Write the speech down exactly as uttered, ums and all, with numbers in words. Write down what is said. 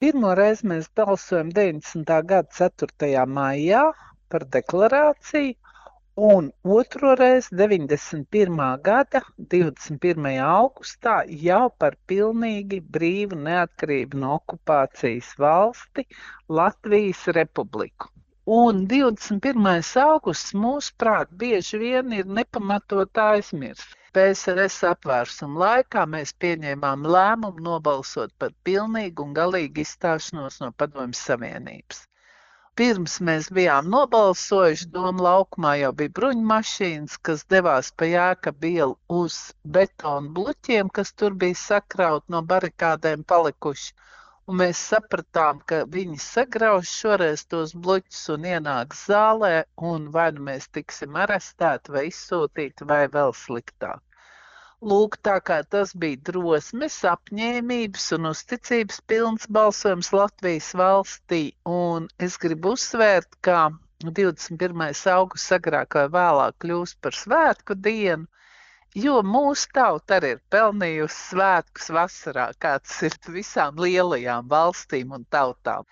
Pirmo reizi mēs balsojam deviņdesmitā gada ceturtajā maijā par deklarāciju, un otro reizi deviņdesmit pirmā gada divdesmit pirmajā augustā jau par pilnīgi brīvu neatkarību no okupācijas valsti Latvijas Republiku. Un divdesmit pirmais augusts, mūsuprāt, bieži vien ir nepamatot aizmirsts. P S R S apvērsuma laikā mēs pieņēmām lēmumu nobalsot par pilnīgu un galīgu izstāšanos no Padomju Savienības. Pirms mēs bijām nobalsojuši, Doma laukumā jau bija bruņmašīnas, kas devās pa Jēkabu ielu uz betonu bluķiem, kas tur bija sakraut no barikādēm palikuši. Un mēs sapratām, ka viņi sagraus šoreiz tos bluķus un ienāks zālē, un vai nu mēs tiksim arestēti vai izsūtīti, vai vēl sliktāk. Lūk, tā kā tas bija drosmes, apņēmības un uzticības pilns balsojums Latvijas valstī, un es gribu uzsvērt, ka divdesmit pirmais augusts agrāk vai vēlāk kļūs par svētku dienu, jo mūsu tauta arī ir pelnījusi svētkus vasarā, kāds ir visām lielajām valstīm un tautām.